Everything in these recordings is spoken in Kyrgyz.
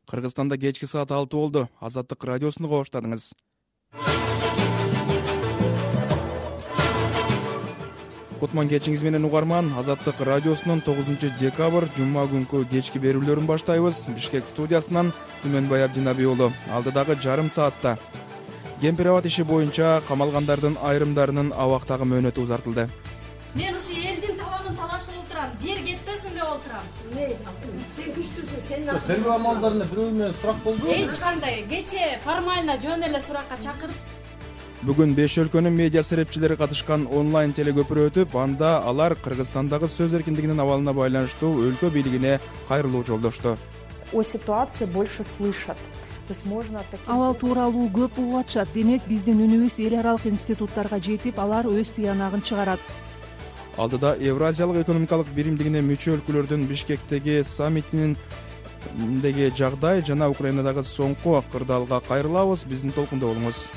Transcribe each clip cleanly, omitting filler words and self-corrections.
Кыргызстанда кечки саат 6 болду. Азаттык радиосуну коштадыңыз. Кутман кечиңиз менен угарман. Азаттык радиосунун 9-декабрь жума күнкү кечки берүүлөрүн баштайбыз. Бишкек студиясынан Түмөнбай Абдинаби уулу. Алдыдагы жарым саатта Кемпирабад иши боюнча камалгандардын айрымдарынын абактагы мөөнөтү узартылды. Мен ушу элдин таламын талашып отурам, жер кетпесин деп отурам. Сен күчтүүсүң, сен тергөө амалдарына бирөө менен сурак болду. Эч кандай кече формально жөн эле суракка чакырып. Бүгүн 5 өлкөнүн медиа серепчилери катышкан онлайн телегөпүрө өтүп, анда алар Кыргызстандагы сөз эркиндигинин абалына байланыштуу өлкө бийлигине кайрылуу жолдошту. О ситуации больше слышат. Абал тууралуу көп угуп атышат. Демек, биздин үнүбүз эл аралык институттарга жетип, алар өз тыянагын чыгарат. Алдыда Евразиялык экономикалык биримдигине мүчө өлкөлөрдүн Бишкектеги саммитиндеги жагдай жана Украинадагы соңку кырдаалга кайрылабыз. Биздин толкунда болуңуз.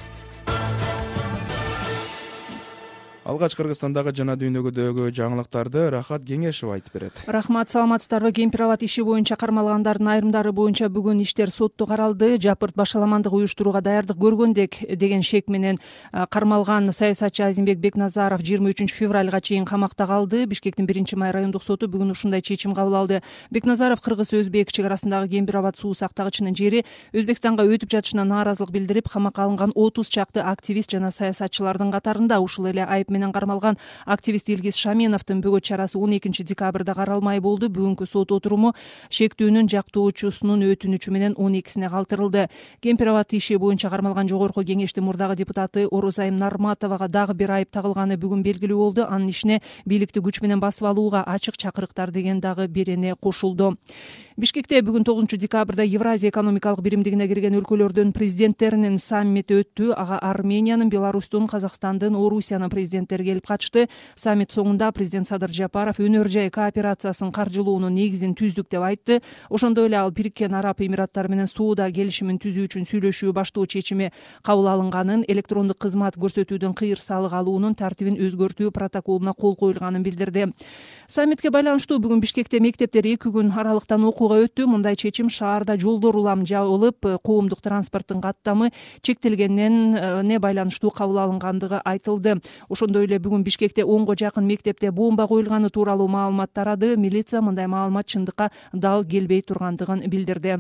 Алгач Кыргызстандагы жана дүйнөгөдөгү жаңылыктарды Рахат Кеңешева айтып берет. Рахмат, саламатсыздарбы? Кемпирабад иши боюнча кармалгандардын айрымдары боюнча бүгүн иштер сотто каралды. Жапырт башаламандык уюштурууга даярдык көргөндек деген шек менен кармалган саясатчы Азимбек Бекназаров 23 февралга чейин камакта калды. Бишкектин 1-май райондук соту бүгүн ушундай чечим кабыл алды. Бекназаров кыргыз-өзбек чек арасындагы Кемпирабад суу сактагычынын жери Өзбекстанга өтүп жатышына нааразылык билдирип, камакка алынган 30 чакты активист жана саясатчылардын катарында. Ушул эле айып менен кармалган активист Илгиз Шаменовдун бөгөт чарасы 12 декабрда каралмай болду. Бүгүнкү сот отуруму шектүүнүн жактоочусунун өтүнүчү менен 12-сине калтырылды. Кемпирабад иши боюнча кармалган жогорку кеңештин мурдагы депутаты Орозайым Нарматовага дагы бир айып тагылганы бүгүн белгилүү болду. Анын ишине бийликти күч менен басып алууга ачык чакырыктар деген дагы берене кошулду. Бишкекте бүгүн 9-декабрда Евразия экономикалык биримдигине кирген өлкөлөрдүн президенттеринин саммити өттү. Ага Армениянын, Беларустун, Казакстандын, Орусиянын президенттери келип катышты. Саммит соңунда президент Садыр Жапаров өнөр жай кооперациясын каржылоонун негизин түздүк деп айтты. Ошондой эле ал Бириккен Араб Эмираттары менен соода келишимин түзүү үчүн сүйлөшүү баштоо чечими кабыл алынганын, электрондук кызмат көрсөтүүдөн кыйыр салык алуунун тартибин өзгөртүү протоколуна кол коюлганын билдирди. Саммитке байланыштуу бүгүн Бишкекте мектептер 2 күн аралыктан окууга өттү. Мындай чечим шаарда жолдор улам жабылып, коомдук транспорттун каттамы чектелгенине байланыштуу кабыл алынгандыгы айтылды. Ошондой эле бүгүн Бишкекте 10го жакын мектепте бомба коюлганы тууралуу маалымат тарады. Милиция мындай маалымат чындыкка дал келбей тургандыгын билдирди.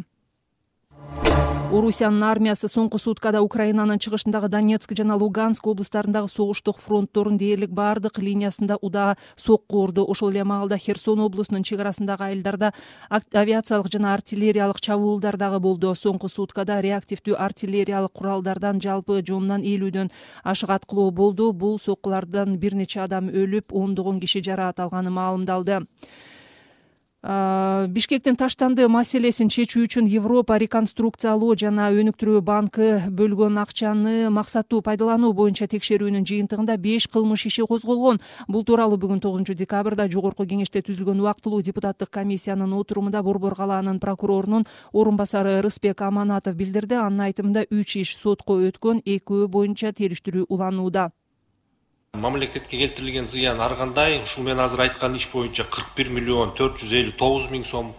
Орусиянын армиясы соңку суткада Украинанын чыгышындагы Донецк жана Луганск облустарындагы согуштук фронттордун дээрлик баардык линиясында удаа сокку урду. Ошол эле маалда Херсон облусунун чек арасындагы айылдарда авиациялык жана артиллериялык чабуулдар дагы болду. Соңку суткада реактивдүү артиллериялык куралдардан жалпы жонунан 50дөн ашык аткылоо болду. Бул соккулардан бир нече адам өлүп, ондогон киши жараат алганы маалымдалды. Бишкектин таштанды маселесин чечүү үчүн Европа реконструкциялоо жана өнүктүрүү банкы бөлгөн акчаны максаттуу пайдалануу боюнча текшерүүнүн жыйынтыгында 5 кылмыш иши козголгон. Бул тууралуу бүгүн 9-декабрда жогорку кеңеште түзүлгөн убактылуу депутаттык комиссиянын отурумунда Борбор калаанын прокурорунун орун басары Рыспек Аманатов билдирди. Анын айтымында 3 иш сотко өткөн, 2 боюнча териштирүү уланууда. Мамлекетке келтирилген зыян ар кандай. Ушул мен азыр айткан иш боюнча 41,459,000 сом,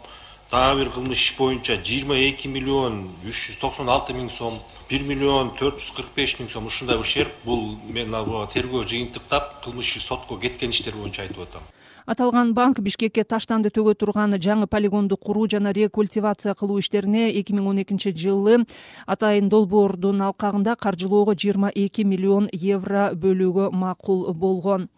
дагы бир кылмыш иш боюнча 22,396,000 сом, 1,445,000 сом ушундай ущерб. Бул мен тергөө жыйынтыктап кылмыш иш сотко кеткен иштер боюнча айтып атам. Аталган банк Бишкекке таштанды төгө турган жаңы полигонду куруу жана рекультивация кылуу иштерине 2012-жылы Атайын долбоордун алкагында каржылоого 22 миллион евро бөлүүгө макул болгон.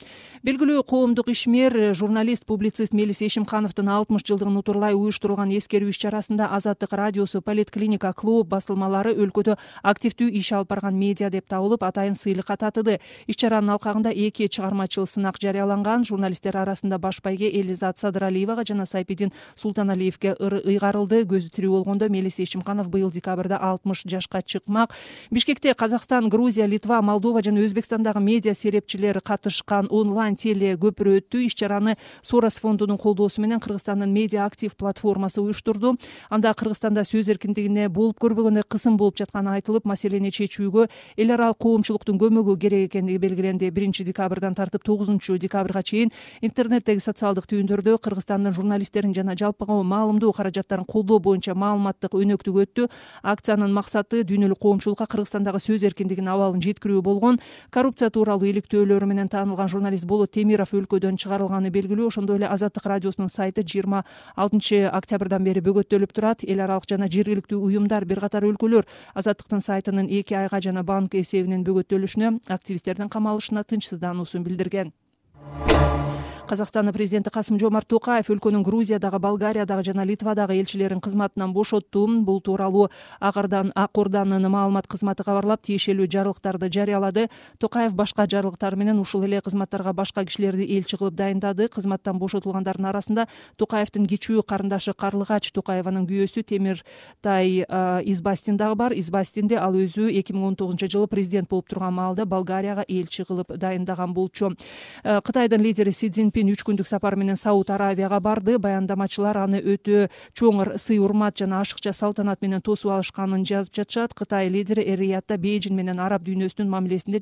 Белгилүү коомдук ишмер, журналист, публицист Мелис Эшимхановдун 60 жылдыгын утурлай уюштурулган эскерүү иш чарасында Азаттык радиосу, Политклиника, клуб басылмалары өлкөдө активдүү иш алып барган медиа деп табылып, атайын сыйлыкка татыды. Иш чаранын алкагында 2 чыгармачыл сынак жарыяланган. Журналисттер арасында баш байге Элизат Садыралиевага жана Сайпидин Султаналиевге ыйгарылды. Көзү тирүү болгондо Мелис Эшимханов быйыл декабрда 60 жашка чыкмак. Бишкекте Казакстан, Грузия, Литва, Молдова жана Өзбекстандагы медиа серепчилер катышкан онлайн теле көпүрө өттү. Иш чараны Сорос фондунун колдоосу менен Кыргызстандын медиа актив платформасы уюштурду. Анда Кыргызстанда сөз эркиндигине болуп көрбөгөндөй кысым болуп жатканы айтылып, маселени чечүүгө эл аралык коомчулуктун көмөгү керек экендиги белгиленди. 1 декабрдан тартып 9 декабрга чейин интернетте Кыргызстандагы социалдык түйүндөрдө Кыргызстандын журналисттерин жана жалпыга маалымдоо каражаттарын колдоо боюнча маалыматтык өнөктүк өттү. Акциянын максаты дүйнөлүк коомчулукка Кыргызстандагы сөз эркиндигинин абалын жеткирүү болгон. Коррупция тууралуу иликтөөлөрү менен таанылган журналист Болот Темиров өлкөдөн чыгарылганы белгилүү. Ошондой эле Азаттык радиосунун сайты 26 октябрдан бери бөгөттөлүп турат. Эл аралык жана жергиликтүү уюмдар, бир катар өлкөлөр Азаттыктын сайтынын 2 айга жана банк эсебинин бөгөттөлүшүнө, активисттердин камалышына тынчсыздануусун билдирген. Казакстандын президенти Касым-Жомарт Токаев өлкөнүн Грузиядагы, Болгариядагы жана Литвадагы элчилерин кызматынан бошотту. Бул тууралуу Ак Орданын маалымат кызматы кабарлап, тиешелүү жарлыктарды жарыялады. Токаев башка жарлыктар менен ушул эле кызматтарга башка кишилерди элчи кылып дайындады. Кызматтан бошотулгандардын арасында Токаевдин кичүү карындашы Карлыгач Токаеванын күйөөсү Темиртай Избастин дагы бар. Избастинди ал өзү 2019-жылы президент болуп турган маалда Болгарияга элчи кылып дайындаган болчу. Кытайдын лидери Си Цзиньпин 3 күндүк сапар менен Сауд Аравияга барды. Баяндамачылар аны өтө чоң сый-урмат жана ашыкча салтанат менен тосуп алышканын жазып жатышат. Кытай лидери Эр-Риядда Бейжин менен араб дүйнөсүнүн мамилесинде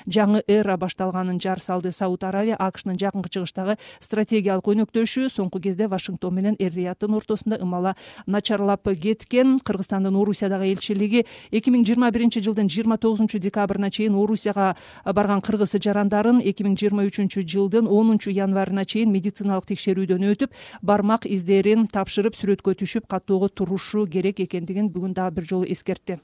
жаңы эра башталганын жар салды. Сауд Аравия АКШнын жакынкы чыгыштагы стратегиялык өнөктөшү соңку кезде Вашингтон менен Эр-Рияddын ортосунда ымала начарлап кеткен. Кыргызстандын Орусиядагы элчилиги 2021-жылдын 29 декабрына чейин Орусияга барган кыргыз жарандарын 2023-жылдын 10 январына чейин медициналык текшерүүдөн өтүп, бармак издерин тапшырып, сүрөткө түшүп каттоого турушу керек экендигин бүгүн дагы бир жолу эскертти.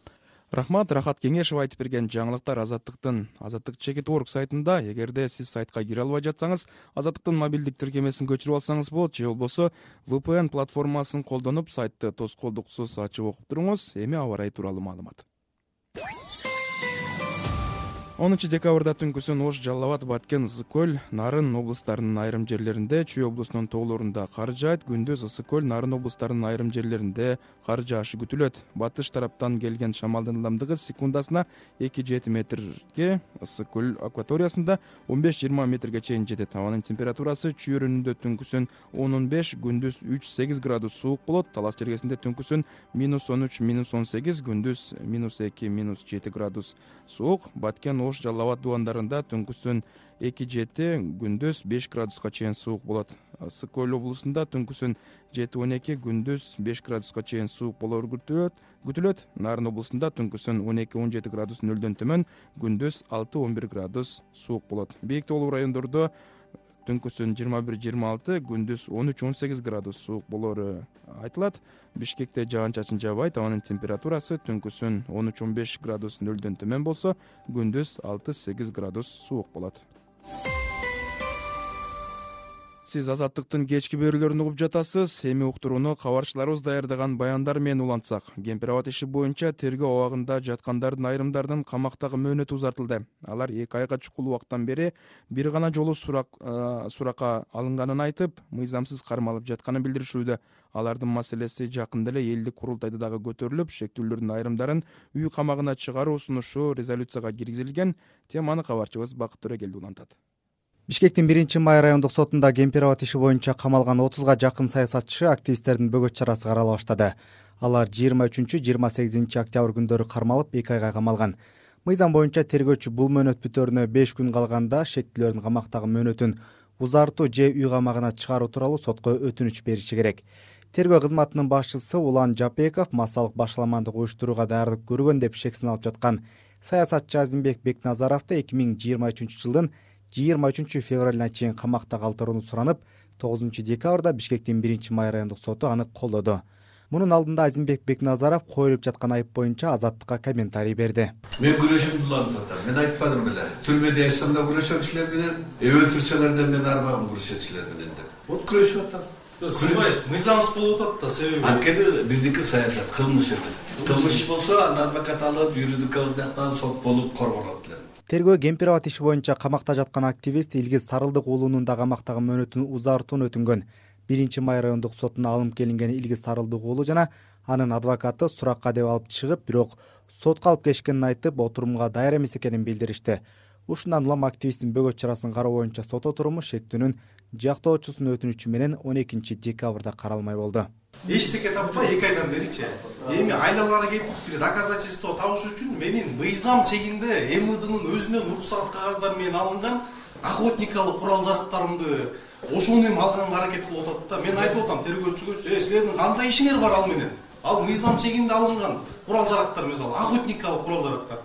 Рахмат, Рахат Кеңешев айтып берген жаңылыктар Азаттык.org сайтында. Эгерде сиз сайтка кире албай жатсаңыз, Азаттыктын мобилдик тиркемесин көчүрүп алсаңыз болот, же болбосо VPN платформасын колдонуп сайтты тоскоолдуксуз ачып окуп туруңуз. Эми аба ырайы тууралуу маалымат. 10 декабрда түнкүсүн Ош, Жалал Абад, Баткен, Ысык көл, Нарын облустарынын айрым жерлеринде, Чүй облусунун тоолорунда кар жаайт. Күндүз Ысык көл, Нарын облустарынын айрым жерлеринде кар жаашы күтүлөт. Батыш тараптан келген шамалдын ылдамдыгы секундасына 2-7 метрге, Ысык көл акваториясында 15-20 метрге чейин жетет. Абанын температурасы Чүй өрүнүндө түнкүсүн 10-15, күндүз 3-8 градус суук болот. Талас жергесинде түнкүсүн -13, -18, күндүз -2, -7 градус суук. Баткен, Ош, Жалал Абад дубандарында түнкүсүн 2-7, күндүз 5 градуска чейин суук болот. Ысык көл облусунда түнкүсүн 7-12, күндүз 5 градуска чейин суук болору күтүлөт. Нарын облусунда түнкүсүн 12-17 градус нөлдөн төмөн, күндүз 6-11 градус суук болот. Бийик тоолуу райондордо түнкүсүн 21-26, күндүз 13-18 градус суук болору айтылат. Бишкекте жаан-чачын жаабайт. Абанын температурасы түнкүсүн 13-15 градус нөлдөн төмөн болсо, күндүз 6-8 градус суук болот. Сиз Азаттыктын кечки берүүлөрүн угуп жатасыз. Эми уктурууну кабарчыларыбыз даярдаган баяндар менен улантсак. Кемпир Абад иши боюнча тергөө абагында жаткандардын айрымдарынын камактагы мөөнөтү узартылды. Алар 2 айга чукул убакыттан бери бир гана жолу суракка алынганын айтып, мыйзамсыз кармалып жатканын билдиришүүдө. Алардын маселеси жакында эле элдик курултайда дагы көтөрүлүп, шектүүлөрдүн айрымдарын үй камагына чыгаруу сунушу резолюцияга киргизилген. Теманы кабарчыбыз Бакыт Төрөгелди улантат. Бишкектин 1-май райондук сотунда Кемпир Абад иши боюнча камалган 30га жакын саясатчы активисттердин бөгөт чарасы карала баштады. Алар 23-28 октябрь күндөрү кармалып 2 айга камалган. Мыйзам боюнча тергөөчү бул мөөнөт бүтөөрүнө 5 күн калганда шектүүлөрдүн камактагы мөөнөтүн узартуу же үй камагына чыгаруу тууралуу сотко өтүнүч бериши керек. Тергөө кызматынын башчысы Улан Жапеков массалык башаламандык уюштурууга даярдык көргөн деп шек сыналып жаткан саясатчы Азимбек Бекназаровду 2023-жылдын 23 февралына чейин камакта калтырууну суранып, 9 декабрда Бишкектин 1-май райондук соту аны колдоду. Мунун алдында Азимбек Бекназаров коюлуп жаткан айып боюнча Азаттыкка комментарий берди. Мен күрөшүмдү улантып атам. Мен айтпадым беле. Түрмөдө ясам да күрөшөм силер менен, өлтүрсөлөр да мен арбагым күрөшөт силер менен деп. Вот күрөшүп атам. Сыйбайсыз, мыйзамсыз болуп атат да себеби. Анткени биздики саясат кылмыш эмес. Кылмыш болсо аны адвокат алып, юридикалык жактан сот болуп коргонот эле. Тергөө Кемпир Абад иши боюнча камакта жаткан активист Илгиз Сарылдык уулунун да камактагы мөөнөтүн узартууну өтүнгөн. 1-май райондук сотуна алынып келинген Илгиз Сарылдык уулу жана анын адвокаты суракка деп алып чыгып, бирок сотко алып келишкенин айтып, отурумга даяр эмес экенин билдиришти. Ушундан улам активисттин бөгөт чарасын кароо боюнча сот отуруму шектүүнүн жактоочусунун өтүнүчү менен 12 декабрда каралмай болду. Эчтеке таппай 2 айдан беричи. Эми айналары кетип бир доказательство табыш үчүн менин мыйзам чегинде МВДнын өзүнөн уруксат кагаздары менен алынган охотникалык курал-жарактарымды ошону эми алганга аракет кылып атат да. Мен айтып атам тергөөчүгө, силердин кандай ишиңер бар ал менен? Ал мыйзам чегинде алынган курал-жарактар, мисалы охотникалык курал-жарактар.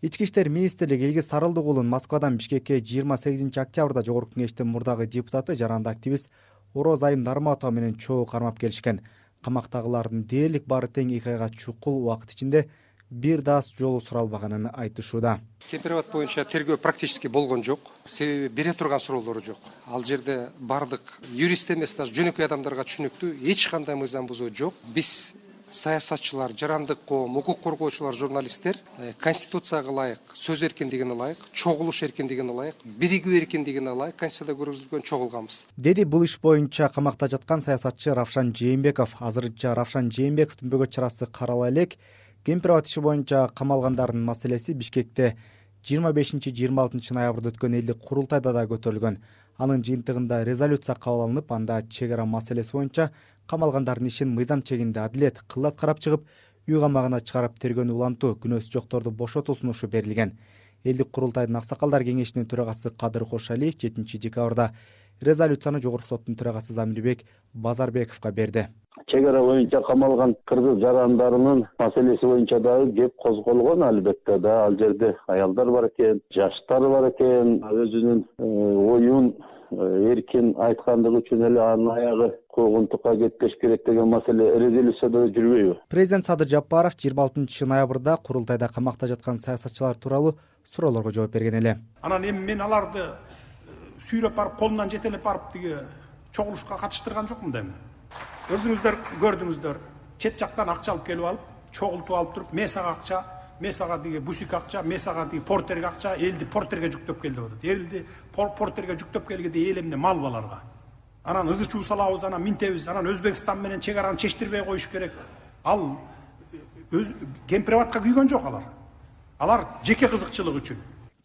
Ички иштер министрлиги Илгиз Сарылдык уулун Москвадан Бишкекке 28 октябрда жогорку кеңештин мурдагы депутаты, жаранды активист Ороз Айым Нарматова менен чогуу кармап келишкен. Камактагылардын дээрлик баары тең 2 айга чукул убакыт ичинде бир дас жолу суралбаганын айтышууда. Кемпирабад боюнча тергөө практически болгон жок. Себеби бере турган суроолору жок. Ал жерде бардык юрист эмес, даже жөнөкөй адамдарга түшүнүктүү эч кандай мыйзам бузуу жок. Биз саясатчылар, жарандык коом, укук коргоочулар, журналисттер конституцияга ылайык, сөз эркиндигине ылайык, чогулуш эркиндигине ылайык, биригүү эркиндигине ылайык конституцияда көргөзүлгөн чогулганбыз. Деди бул иш боюнча камакта жаткан саясатчы Равшан Жээнбеков. Азырынча Равшан Жээнбековдун бөгөт чарасы карала элек. Кемпирабад иши боюнча камалгандардын маселеси Бишкекте 25-26 ноябрда өткөн элдик курултайда да көтөрүлгөн. Анын жыйынтыгында резолюция кабыл алынып, анда чек ара маселеси боюнча камалгандардын ишин мыйзам чегинде адилет кыллат карап чыгып, үй камагына чыгарып тергөөнү улантуу, күнөөсү жокторду бошотуу сунушу берилген. Элдик курултайдын аксакалдар кеңешинин төрагасы Кадыр Кошалиев 7 декабрда резолюцияны жогорку соттун төрагасы Замирбек Базарбековго берди. Чек ара боюнча камалган кыргыз жарандарынын маселеси боюнча дагы кеп козголгон, албетте да. Ал жерде аялдар бар экен, жаштар бар экен, өзүнүн оюн эркин айткандыгы үчүн эле анын аягы куугунтукка кетпеш керек деген маселе резолюцияда жүрбөйбү? Президент Садыр Жапаров 26 ноябрда курултайда камакта жаткан саясатчылар тууралуу суроолорго жооп берген эле. Анан эми мен аларды сүйрөп барып, колунан жетелеп барып тиги чогулушка катыштырган жокмун да эми. Өзүңүздөр көрдүңүздөр, чет жактан акча алып келип алып, чогултуп алып туруп, месага акча, месага диги бусик акча, месага диги портерге акча, элди портерге жүктөп келди деп атат. Элди портерге жүктөп келгенде эл эмне мал баларга. Анан ызы чуу салабыз, анан минтебиз, анан Өзбекстан менен чек араны чечтирбей коюш керек. Ал Кемпирабадка күйгөн жок алар. Алар жеке кызыкчылык үчүн.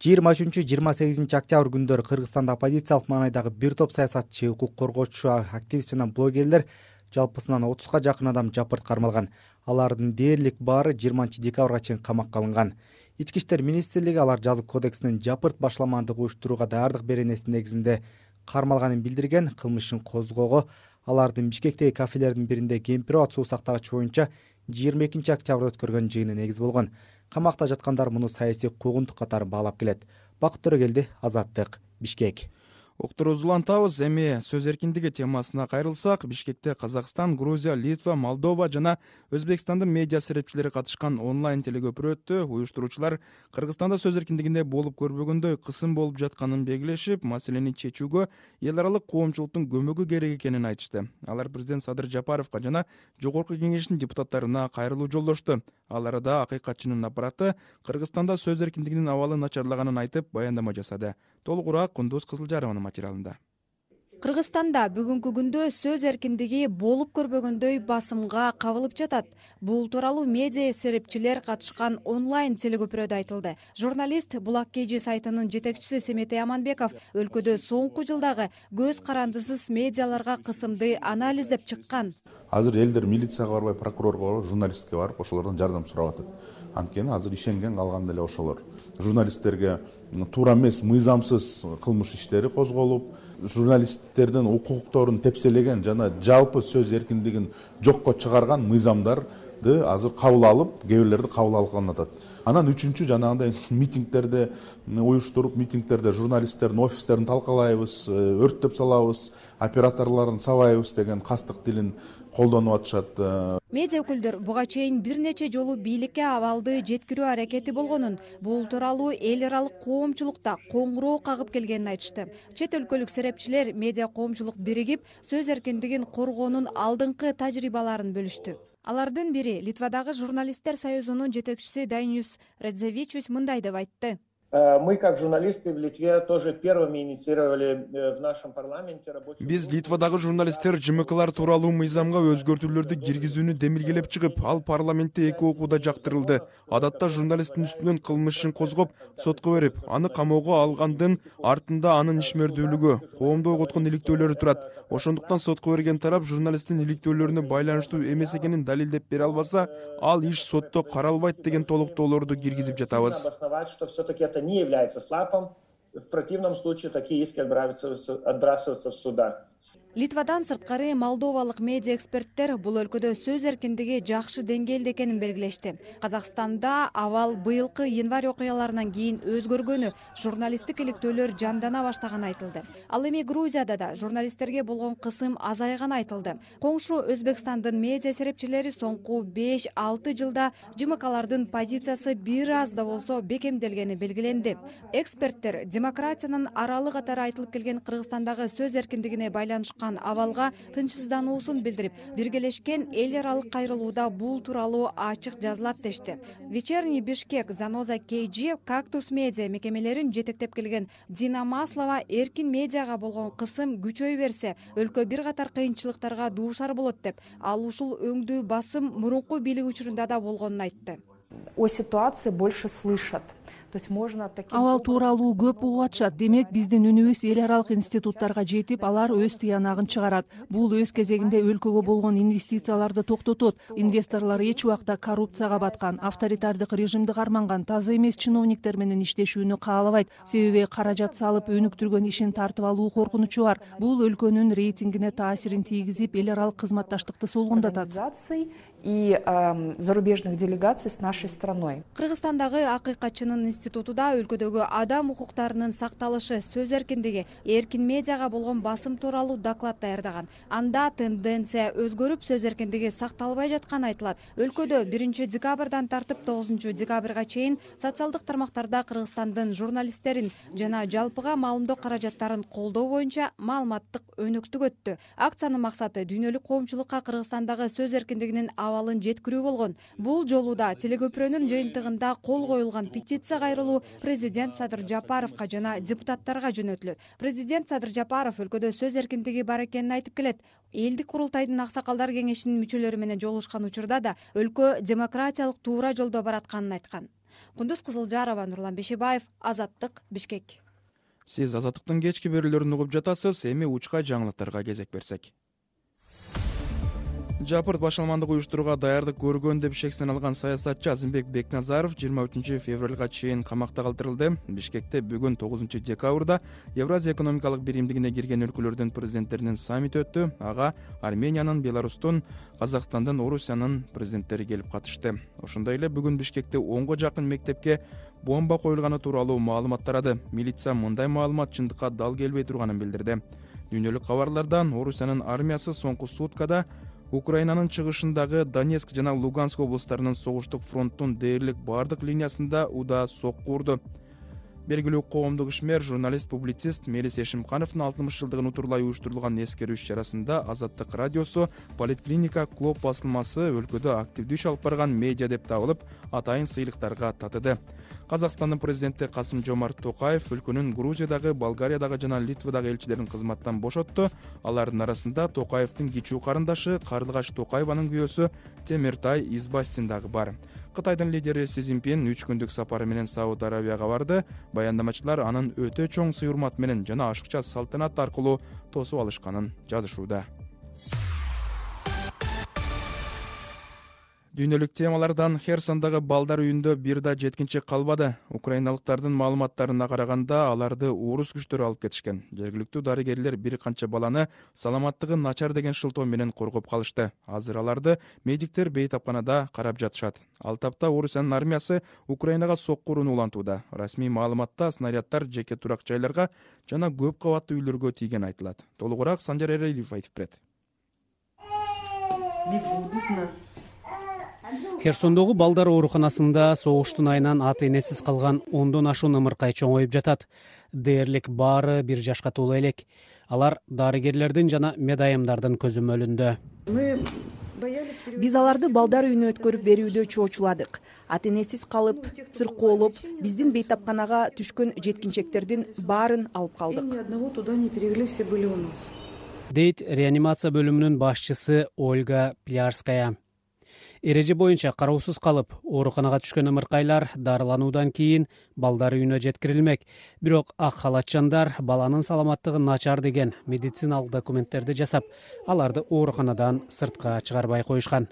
23-28 октябрь күндөрү Кыргызстанда оппозициялык маанайдагы бир топ саясатчы, укук коргоочу, активист жана блогерлер жалпысынан 30га жакын адам жапырт кармалган. Алардын дээрлик баары 20 декабрга чейин камакка алынган. Ички иштер министрлиги алар жазык кодексинин жапырт башаламандык уюштурууга даярдык беренесинин негизинде кармалганын билдирген. Кылмышын козгоого алардын Бишкектеги кафелердин биринде Кемпирабад суу сактагыч боюнча 22 октябрда өткөргөн жыйыны негиз болгон. Камакта жаткандар муну саясий куугунтук катары баалап келет. Бакыт Төрөгелди, Азаттык, Бишкек. Уктурууну улантабыз. Эми сөз эркиндиги темасына кайрылсак, Бишкекте Казакстан, Грузия, Литва, Молдова жана Өзбекстандын медиа серепчилери катышкан онлайн телекөпүрө өттү. Уюштуруучулар Кыргызстанда сөз эркиндигинде болуп көрбөгөндөй кысым болуп жатканын белгилешип, маселени чечүүгө эл аралык коомчулуктун көмөгү керек экенин айтышты. Алар президент Садыр Жапаровго жана жогорку кеңештин депутаттарына кайрылуу жолдошту. Ал арада акыйкатчынын аппараты Кыргызстанда сөз эркиндигинин абалы начарлаганын айтып баяндама жасады. Толугураак Кундуз Кызылжарованын материалында. Кыргызстанда бүгүнкү күндө сөз эркиндиги болуп көрбөгөндөй басымга кабылып жатат. Бул тууралуу медиа серепчилер катышкан онлайн телекөпүрөдө айтылды. Журналист Булак KG сайтынын жетекчиси Семетей Аманбеков өлкөдө соңку жылдагы көз карандысыз медиаларга кысымды анализдеп чыккан. Азыр элдер милицияга барбай, прокурорго барып, журналистке барып, ошолордон жардам сурап атат. Анткени азыр ишенген калган деле ошолор. Журналисттерге туура эмес, мыйзамсыз кылмыш иштери козголуп, журналисттердин укукторун тепселеген жана жалпы сөз эркиндигин жокко чыгарган мыйзамдарды азыр кабыл алып, кээ бирлерди кабыл алган атат. Анан үчүнчү жанагындай митингдерди уюштуруп, митингдерде журналисттердин офистерин талкалайбыз, өрттөп салабыз, операторлорун сабайбыз деген кастык тилин колдонуп атышат. Медиа өкүлдөр буга чейин бир нече жолу бийликке абалды жеткирүү аракети болгонун, бул тууралуу эл аралык коомчулукта коңгуроо кагып келгенин айтышты. Чет өлкөлүк серепчилер медиа коомчулук биригип, сөз эркиндигин коргоонун алдыңкы тажрыйбаларын бөлүштү. Алардын бири Литвадагы журналисттер союзунун жетекчиси Дайнюс Радзевичус мындай деп айтты. Мы, как журналисты в Литве, тоже первыми инициировали в нашем парламенте рабочую... Биз Литвадагы журналисттер ЖМКлар тууралуу мыйзамга өзгөртүүлөрдү киргизүүнү демилгелеп чыгып, ал парламентте 2 окууда жактырылды. Адатта журналисттин үстүнөн кылмышын козгоп, сотко берип, аны камоого алгандын артында анын ишмердүүлүгү, коомду ойготкон иликтөөлөрү турат. Ошондуктан сотко берген тарап журналисттин иликтөөлөрүнө байланыштуу эмес экенин далилдеп бере албаса, ал иш сотто каралбайт деген толуктоолорду киргизип жатабыз. Не является слапом, В противном случае такие иски отбрасываются в судах. Литвадан сырткары молдовалык медиа эксперттер бул өлкөдө сөз эркиндиги жакшы деңгээлде экенин белгилешти. Казакстанда абал быйылкы январь окуяларынан кийин өзгөргөнү, журналисттик иликтөөлөр жандана баштаганы айтылды. Ал эми Грузияда да журналисттерге болгон кысым азайганы айтылды. Коңшу Өзбекстандын медиа серепчилери соңку 5-6 жылда ЖМКлардын позициясы бир аз да болсо бекемделгени белгиленди. Эксперттер демократиянын аралы катары айтылып келген Кыргызстандагы сөз эркиндигине байланышкан абалга тынчсыздануусун билдирип, биргелешкен эл аралык кайрылууда бул тууралуу ачык жазылат дешти. Вечерний Бишкек, Заноза KG, Кактус медиа мекемелерин жетектеп келген Дина Маслова эркин медиага болгон кысым күчөй берсе, өлкө бир катар кыйынчылыктарга дуушар болот деп, ал ушул өңдүү басым мурунку бийлик учурунда да болгонун айтты. О ситуации больше слышат. Абал тууралуу көп угуп атышат. Демек, биздин үнүбүз эл аралык институттарга жетип, алар өз тыянагын чыгарат. Бул өз кезегинде өлкөгө болгон инвестицияларды токтотот. Инвесторлор эч убакта коррупцияга баткан, авторитардык режимди карманган, таза эмес чиновниктер менен иштешүүнү каалабайт. Себеби каражат салып өнүктүргөн ишин тартып алуу коркунучу бар. Бул өлкөнүн рейтингине таасирин тийгизип, эл аралык кызматташтыкты солгундатат. И зарубежных делегаций с нашей страной. Кыргызстандагы акыйкатчынын институтуда өлкөдөгү адам укуктарынын сакталышы, сөз эркиндиги, эркин медиага болгон басым тууралуу доклад даярдаган. Анда тенденция өзгөрүп, сөз эркиндиги сакталбай жатканы айтылат. Өлкөдө 1 декабрдан тартып 9 декабрга чейин социалдык тармактарда Кыргызстандын журналисттерин жана жалпыга маалымдоо каражаттарын колдоо боюнча маалыматтык өнүктүк өттү. Акциянын максаты дүйнөлүк коомчулукка Кыргызстандагы сөз эркиндигинин абалын жеткирүү болгон. Бул жолу да телекөпүрөнүн жыйынтыгында кол коюлган петиция кайрылуу президент Садыр Жапаровго жана депутаттарга жөнөтүлөт. Президент Садыр Жапаров өлкөдө сөз эркиндиги бар экенин айтып келет. Элдик курултайдын аксакалдар кеңешинин мүчөлөрү менен жолугушкан учурда да өлкө демократиялык туура жолдо баратканын айткан. Кундуз Кызылжарова, Нурлан Бешибаев, Азаттык, Бишкек. Сиз Азаттыктын кечки берүүлөрүн угуп жатасыз. Эми учка жаңылыктарга кезек берсек. Жапырт башаламандык уюштурууга даярдык көргөн деп шектен алган саясатчы Азимбек Бекназаров 23 февралга чейин камакта калтырылды. Бишкекте бүгүн 9 декабрда Евразия экономикалык биримдигине кирген өлкөлөрдүн президенттеринин саммити өттү. Ага Армениянын, Беларустун, Казакстандын, Орусиянын президенттери келип катышты. Ошондой эле бүгүн Бишкекте 10го жакын мектепке бомба коюлганы тууралуу маалымат тарады. Милиция мындай маалымат чындыкка дал келбей турганын билдирди. Дүйнөлүк кабарлардан Орусиянын армиясы соңку суткада Украинанын чыгышындагы Донецк жана Луганск облустарынын согуштук фронттун дээрлик бардык линиясында удаа сокку урду. Белгилүү коомдук ишмер, журналист, публицист Мелис Эшимкановдун 60 жылдыгын утурлай уюштурулган эскерүү иш-чарасында Азаттык радиосу Политклиника Клуб басылмасы өлкөдө активдүү иш алып барган медиа деп табылып, атайын сыйлыктарга татыды. Казакстандын президенти Касым-Жомарт Токаев өлкөнүн Грузиядагы, Болгариядагы жана Литвадагы элчилерин кызматтан бошотту. Алардын арасында Токаевдин кичүү карындашы Карлыгач Токаеванын күйөөсү Темиртай Избастин дагы бар. Кытайдын лидери Си Цзиньпин 3 күндүк сапары менен Сауд Арабияга барды. Баяндамачылар анын өтө чоң сый-урмат менен жана ашыкча салтанат аркылуу тосуп алышканын жазышууда. Дүйнөлүк темалардан Херсондагы балдар үйүндө бир да жеткинчи калбады. Украиналыктардын маалыматтарына караганда, аларды орус күчтөрү алып кетишкен. Жергиликтүү дарыгерлер бир канча баланы саламаттыгы начар деген шылтоо менен коргоп калышты. Азыр аларды медиктер бейтапканада карап жатышат. Ал тапта Орусиянын армиясы Украинага сокку урууну улантууда. Расмий маалыматта снаряддар жеке турак жайларга жана көп кабаттуу үйлөргө тийгени айтылат. Толугураак Санжар Эрелиев айтып берет. Херсондогу балдар ооруканасында согуштун айынан ата энесиз калган 10дон ашуун ымыркай чоңоюп жатат. Дээрлик баары 1 жашка толо элек. Алар дарыгерлердин жана медайымдардын көзөмөлүндө. Биз аларды балдар үйүнө өткөрүп берүүдө чоочуладык. Ата энесиз калып, сыркоолоп, биздин бейтапканага түшкөн жеткинчектердин баарын алып калдык. Дейт реанимация бөлүмүнүн башчысы Ольга Плярская. Эреже боюнча кароосуз калып, ооруканага түшкөн ымыркайлар дарылануудан кийин балдар үйүнө жеткирилмек. Бирок ак халатчандар баланын саламаттыгы начар деген медициналык документтерди жасап, аларды ооруканадан сыртка чыгарбай коюшкан.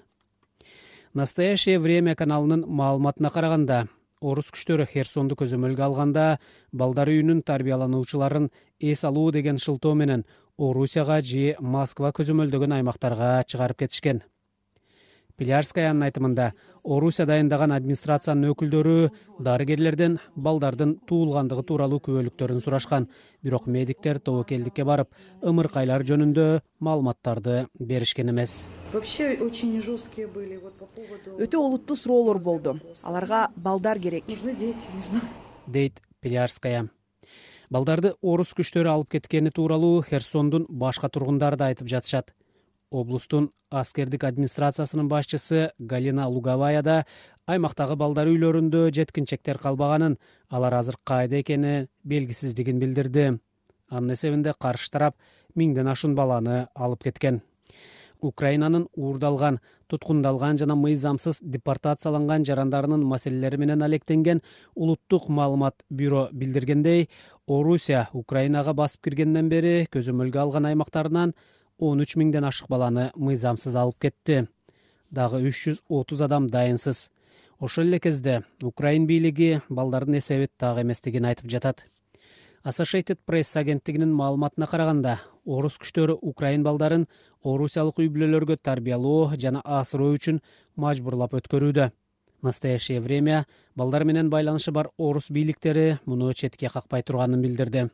Настоящее время каналынын маалыматына караганда, орус күчтөрү Херсонду көзөмөлгө алганда балдар үйүнүн тарбиялануучуларын эс алуу деген шылтоо менен Орусияга же Москва көзөмөлдөгөн аймактарга чыгарып кетишкен. Плярскаянын айтымында Орусия дайындаган администрациянын өкүлдөрү дарыгерлерден балдардын туулгандыгы тууралуу күбөлүктөрүн сурашкан, бирок медиктер тобокелдикке барып, ымыркайлар жөнүндө маалыматтарды беришкен эмес. Өтө олуттуу суроолор болду. Аларга балдар керек. Дейт Плярская. Балдарды орус күчтөрү алып кеткени тууралуу Херсондун башка тургундары да айтып жатышат. Облустун аскердик администрациясынын башчысы Галина Луговая да аймактагы балдар үйлөрүндө жеткинчектер калбаганын, алар азыр кайда экени белгисиздигин билдирди. Анын эсебинде каршы тарап 1000ден ашуун баланы алып кеткен. Украинанын уурдалган, туткундалган жана мыйзамсыз депортацияланган жарандарынын маселелери менен алектенген улуттук маалымат бюро билдиргендей, Орусия Украинага басып киргенден бери көзөмөлгө алган аймактарынан 13 000ден ашык баланы мыйзамсыз алып кетти. Дагы 330 адам дайынсыз. Ошол эле кезде Украин бийлиги балдардын эсеби так эместигин айтып жатат. Associated Press агенттигинин маалыматына караганда, орус күчтөрү Украин балдарын орусиялык үй-бүлөлөргө тарбиялоо жана асыроо үчүн мажбурлап өткөрүүдө. В настоящее время балдар менен байланышы бар орус бийликтери муну четке какпай турганын билдирди.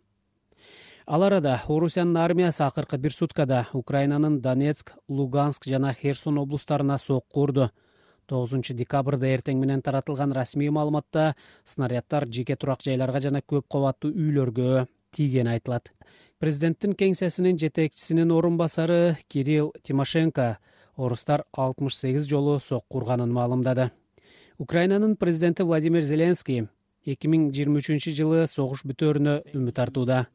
Ал арада Орусиянын армиясы акыркы бир суткада Украинанын Донецк, Луганск жана Херсон облустарына сокку урду. 9 декабрда эртең менен таратылган расмий маалыматта снаряддар жеке турак жайларга жана көп кабаттуу үйлөргө тийгени айтылат. Президенттин кеңсесинин жетекчисинин орун басары Кирилл Тимошенко орустар 68 жолу сокку урганын маалымдады. Украинанын президенти Владимир Зеленский 2023 жылы согуш бүтөөрүнө үмүт артууда.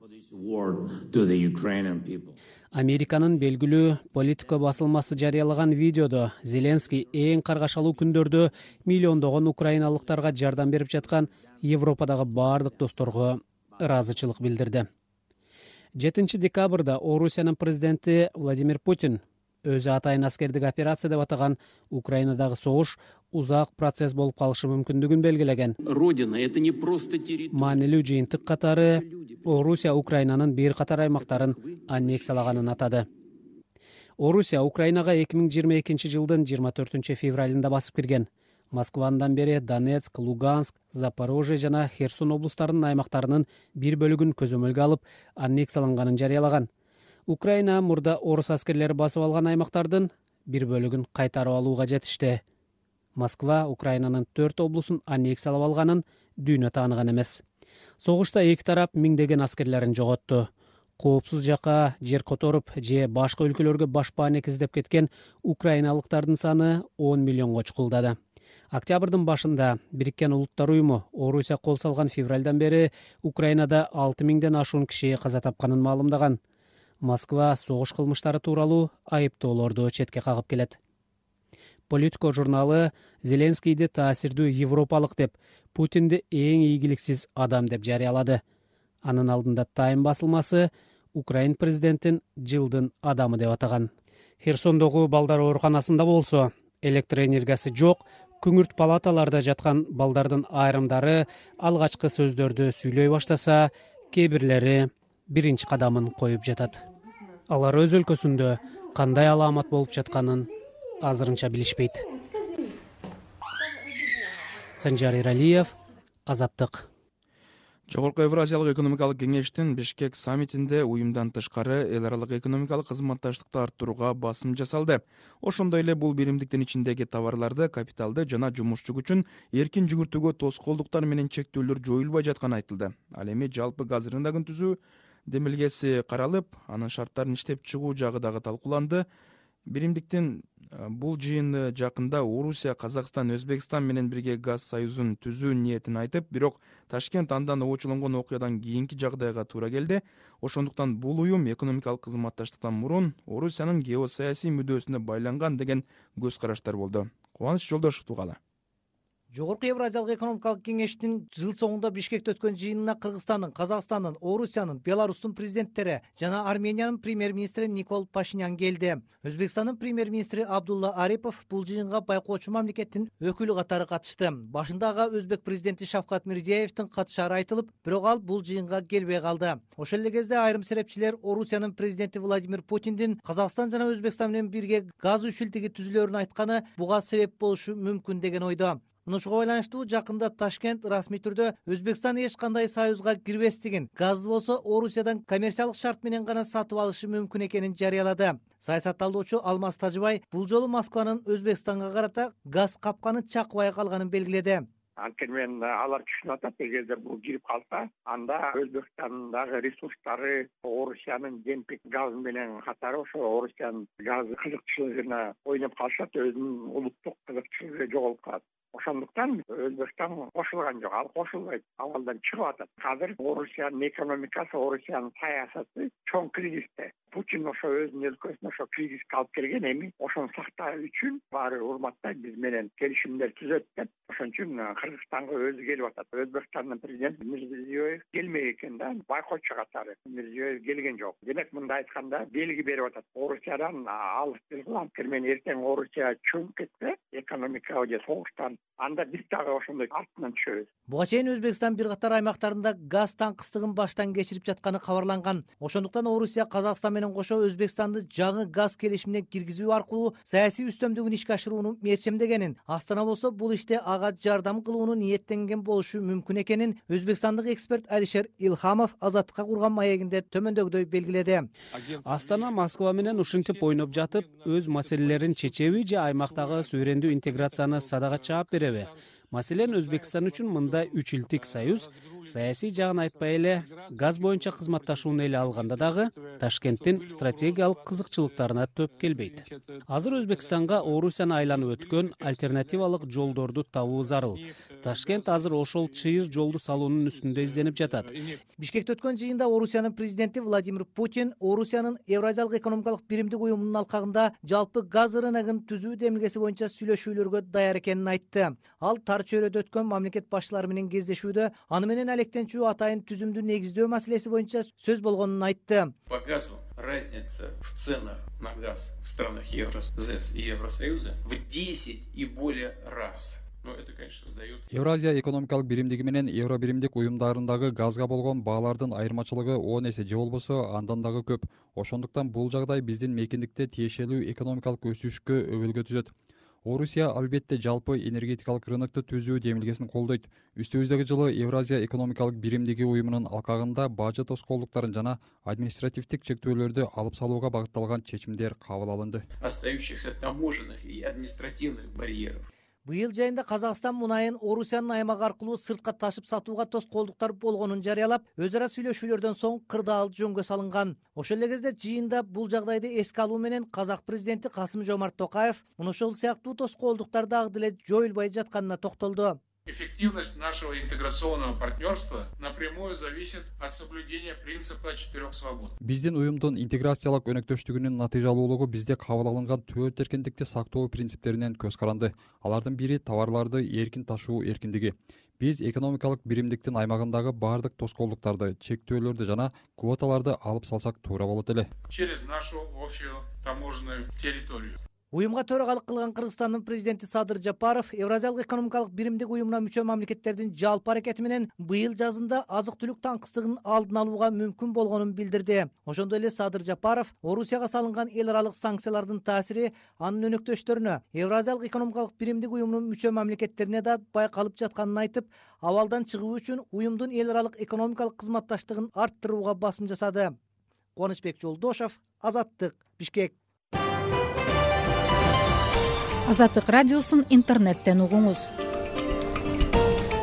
Американын белгилүү Политико басылмасы жарыялаган видеодо Зеленский эң каргашалуу күндөрдө миллиондогон украиналыктарга жардам берип жаткан Европадагы бардык досторго ыраазычылык билдирди. 7 декабрда Орусиянын президенти Владимир Путин өзү атайын аскердик операция деп атаган Украинадагы согуш узак процесс болуп калышы мүмкүндүгүн белгилеген. Маанилүү жыйынтык катары Орусия Украинанын бир катар аймактарын аннексиялаганын атады. Орусия Украинага 2022 жылдын 24 февралында басып кирген. Москвадан бери Донецк, Луганск, Запорожье жана Херсон облустарынын аймактарынын бир бөлүгүн көзөмөлгө алып, аннексияланганын жарыялаган. Украина мурда орус аскерлери басып алган аймактардын бир бөлүгүн кайтарып алууга жетишти. Москва Украинанын 4 облусун аннексиялап алганын дүйнө тааныган эмес. Согушта эки тарап миңдеген аскерлерин жоготту. Коопсуз жакка жер которуп же башка өлкөлөргө башпаанек издеп кеткен украиналыктардын саны 10 миллионго чукулдады. Октябрдын башында Бириккен Улуттар уюму Орусия кол салган февралдан бери Украинада 6000ден ашуун киши каза тапканын маалымдаган. Москва согуш кылмыштары тууралуу айыптоолорду четке кагып келет. Политико журналы Зеленскийди таасирдүү европалык деп, Путинди эң ийгиликсиз адам деп жарыялады. Анын алдында Time басылмасы Украин президентин жылдын адамы деп атаган. Херсондогу балдар ооруканасында болсо, электр энергиясы жок, күңүрт палаталарда жаткан балдардын айрымдары алгачкы сөздөрдү сүйлөй баштаса, кээ бирлери биринчи кадамын коюп жатат. Алар өз өлкөсүндө кандай аламат болуп жатканын азырынча билишпейт. Санжар Иралиев, Азаттык. Жогорку Евразиялык экономикалык кеңештин Бишкек саммитинде уюмдан тышкары эл аралык экономикалык кызматташтыкты арттырууга басым жасалды. Ошондой эле бул биримдиктин ичиндеги товарларды, капиталды жана жумушчу күчүн эркин жүгүртүүгө тоскоолдуктар менен чектөөлөр жоюлбай жатканы айтылды. Ал эми жалпы газ рыногун түзүү демилгеси каралып, анын шарттарын иштеп чыгуу жагы дагы талкууланды. Биримдиктин бул жыйыны жакында Орусия, Казакстан, Өзбекстан менен бирге газ союзун түзүү ниетин айтып, бирок Ташкент андан оочуланган окуядан кийинки жагдайга туура келди. Ошондуктан бул уюм экономикалык кызматташтыктан мурун Орусиянын геосаясий мүдөөсүнө байланган деген көз караштар болду. Кубаныч Жолдошев тугалы. Жогорку Евразиялык экономикалык кеңештин жыл соңунда Бишкекте өткөн жыйынына Кыргызстандын, Казакстандын, Орусиянын, Беларустун президенттери жана Армениянын премьер-министри Никол Пашинян келди. Өзбекстандын премьер-министри Абдулла Арипов бул жыйынга байкоочу мамлекеттин өкүлү катары катышты. Башында ага Өзбек президенти Шавкат Мирзиеевдин катышары айтылып, бирок ал бул жыйынга келбей калды. Ошол эле кезде айрым серепчилер Орусиянын президенти Владимир Путиндин Казакстан жана Өзбекстан менен бирге газ үчүлтиги түзүлөрүн айтканы буга себеп болушу мүмкүн деген ойдо. Мынушуга байланыштуу жакында Ташкент расмий түрдө Өзбекстан эч кандай союзга кирбестигин, газды болсо Орусиядан коммерциялык шарт менен гана сатып алышы мүмкүн экенин жарыялады. Саясатталуучу Алмаз Тажыбай бул жолу Москванын Өзбекстанга карата газ капканы чакыбай калганын белгиледи. Анткени мен алар түшүнүп атат, эгерде бул кирип калса, анда Өзбекстандагы ресурстары Орусиянын демпинг газы менен катары ошо Орусиянын газ кызыкчылыгына ойноп калышат, өзүнүн улуттук кызыкчылыгы жоголуп калат. Ошондуктан Өзбекстан кошулган жок, ал кошулбайт, абалдан чыгып атат. Азыр Орусиянын экономикасы, Орусиянын саясаты чоң кризисте. Путин ошо өзүнүн өлкөсүнө ошо кризиске алып келген, эми ошону сактоо үчүн баары урматтайт, биз менен келишимдер түзөт деп, ошон үчүн Кыргызстанга өзү келип атат. Өзбекстандын президенти Мирзиёев келмек экен да, байкоочу катары. Мирзиёев келген жок. Демек мындай айтканда белги берип атат. Орусиядан алыс келгил, анткени мен эртең Орусия чөмүп кетсе, экономикага же согуштан, анда биз дагы ошондой артынан түшөбүз. Буга чейин Өзбекстан бир катар аймактарында газ таңкыстыгын баштан кечирип жатканы кабарланган. Ошондуктан Орусия Казакстан менен кошо Өзбекстанды жаңы газ келишимине киргизүү аркылуу саясий үстөмдүгүн ишке ашырууну мерчемдегенин, Астана болсо бул иште ага жардам кылууну ниеттенген болушу мүмкүн экенин өзбекстандык эксперт Алишер Илхамов Азаттыкка курган маегинде төмөндөгүдөй белгиледи. Астана Москва менен ушинтип ойноп жатып, өз маселелерин чечеби же аймактагы суверендүү интеграцияны садага чаап береби? Маселен, Өзбекстан үчүн мындай үч илтик союз саясий жагын айтпай эле газ боюнча кызматташууну эле алганда дагы Ташкенттин стратегиялык кызыкчылыктарына төп келбейт. Азыр Өзбекстанга Орусияны айланып өткөн альтернативалык жолдорду табуу зарыл. Ташкент азыр ошол чыйыр жолду салуунун үстүндө изденип жатат. Бишкекте өткөн жыйында Орусиянын президенти Владимир Путин Орусиянын Евразиялык экономикалык биримдик уюмунун алкагында жалпы газ рыногун түзүү демилгеси боюнча сүйлөшүүлөргө даяр экенин айтты. Ал тар чөйрөдө өткөн мамлекет башчылары менен кездешүүдө аны менен алектенчүү атайын түзүмдү негиздөө маселеси боюнча сөз болгонун айтты. По газу разница в ценах на газ в странах Евросоюза и Евросоюза в 10 и более раз. Евразия экономикалык биримдиги менен Евро биримдик уюмдарындагы газга болгон баалардын айырмачылыгы 10 эсе же болбосо андан дагы көп. Ошондуктан бул жагдай биздин мейкиндикте тиешелүү экономикалык өсүшкө өбөлгө түзөт. Орусия албетте жалпы энергетикалык рынокту түзүү демилгесин колдойт. Үстүбүздөгү жылы Евразия экономикалык биримдиги уюмунун алкагында бажы тоскоолдуктарын жана административдик чектөөлөрдү алып салууга багытталган чечимдер кабыл алынды. Остающихся таможенных и административных барьеров. Быйыл жайында Казакстан мунайын Орусиянын аймагы аркылуу сыртка ташып сатууга тоскоолдуктар болгонун жарыялап, өз ара сүйлөшүүлөрдөн соң кырдаал жөнгө салынган. Ошол эле кезде жыйында бул жагдайды эске алуу менен казак президенти Касым-Жомарт Токаев ушул сыяктуу тоскоолдуктар дагы деле жоюлбай жатканына токтолду. Эффективность нашего интеграционного партнерства напрямую зависит от соблюдения принципа 4 свобод. Биздин уюмдун интеграциялык өнөктөштүгүнүн натыйжалуулугу бизде кабыл алынган 4 эркиндикти сактоо принциптеринен көз каранды. Алардын бири товарларды эркин ташуу эркиндиги. Биз экономикалык биримдиктин аймагындагы баардык тоскоолдуктарды, чектөөлөрдү жана квоталарды алып салсак туура болот эле. Через нашу общую таможенную территорию. Уюмга төрагалык кылган Кыргызстандын президенти Садыр Жапаров Евразиялык экономикалык биримдик уюмуна мүчө мамлекеттердин жалпы аракети менен быйыл жазында азык-түлүк таңкыстыгын алдын алууга мүмкүн болгонун билдирди. Ошондой эле Садыр Жапаров Орусияга салынган эл аралык санкциялардын таасири анын өнөктөштөрүнө, Евразиялык экономикалык биримдик уюмунун мүчө мамлекеттерине да байкалып жатканын айтып, абалдан чыгуу үчүн уюмдун эл аралык экономикалык кызматташтыгын арттырууга басым жасады. Кубанычбек Жолдошов, Азаттык, Бишкек. Азаттык радиосун интернеттен угуңуз.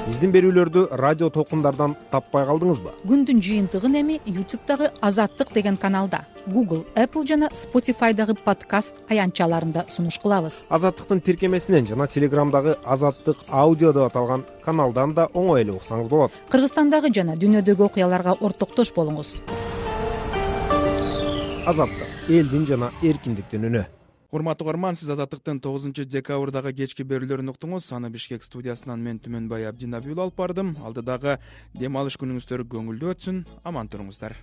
Биздин берүүлөрдү радио толкундардан таппай калдыңызбы? Күндүн жыйынтыгын эми YouTube'дагы Азаттык деген каналда, Google, Apple жана Spotify'дагы подкаст аянтчаларында сунуш кылабыз. Азаттыктын тиркемесинен жана Telegram'дагы Азаттык аудио деп аталган каналдан да оңой эле уксаңыз болот. Кыргызстандагы жана дүйнөдөгү окуяларга ортоктош болуңуз. Азаттык, элдин жана эркиндиктин үнү. урматтуу угарман, сиз Азаттыктын 9 декабрдагы кечки берүүлөрүн уктуңуз. Аны Бишкек студиясынан мен Түмөнбай Абдинабиул алып бардым. Алдыдагы дем алыш күнүңүздөр көңүлдүү өтсүн. Аман туруңуздар.